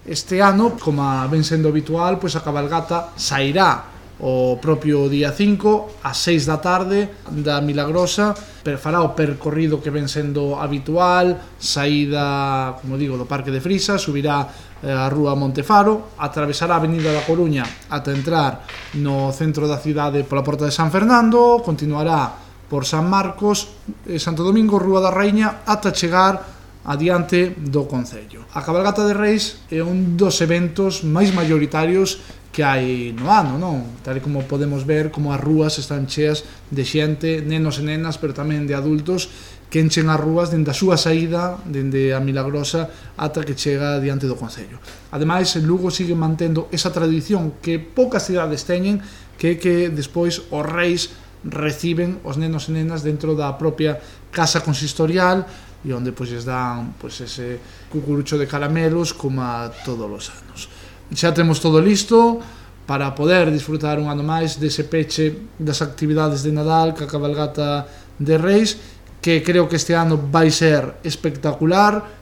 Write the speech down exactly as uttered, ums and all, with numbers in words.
Este ano, como ven sendo habitual, pois a cabalgata sairá o propio día cinco ás seis da tarde da Milagrosa, pero fará o percorrido que ven sendo habitual, saída, como digo, do Parque de Frisa, subirá a Rúa Montefaro, atravesará a Avenida da Coruña ata entrar no centro da cidade pola Porta de San Fernando, continuará por San Marcos, Santo Domingo, Rúa da Raíña, ata chegar adiante do Concello. A Cabalgata de Reis é un dos eventos máis maioritarios que hai no ano, non? Tal como podemos ver como as rúas están cheas de xente, nenos e nenas, pero tamén de adultos, que enchen as rúas dende a súa saída, dende a Milagrosa, ata que chega diante do Concello. Ademais, Lugo sigue mantendo esa tradición que poucas cidades teñen, que é que despois os reis reciben os nenos e nenas dentro da propia casa consistorial, e onde pois lles dan pois ese cucurucho de caramelos como a todos os anos. Xa temos todo listo para poder disfrutar un ano máis dese peche das actividades de Nadal ca Cabalgata de Reis, que creo que este ano vai ser espectacular,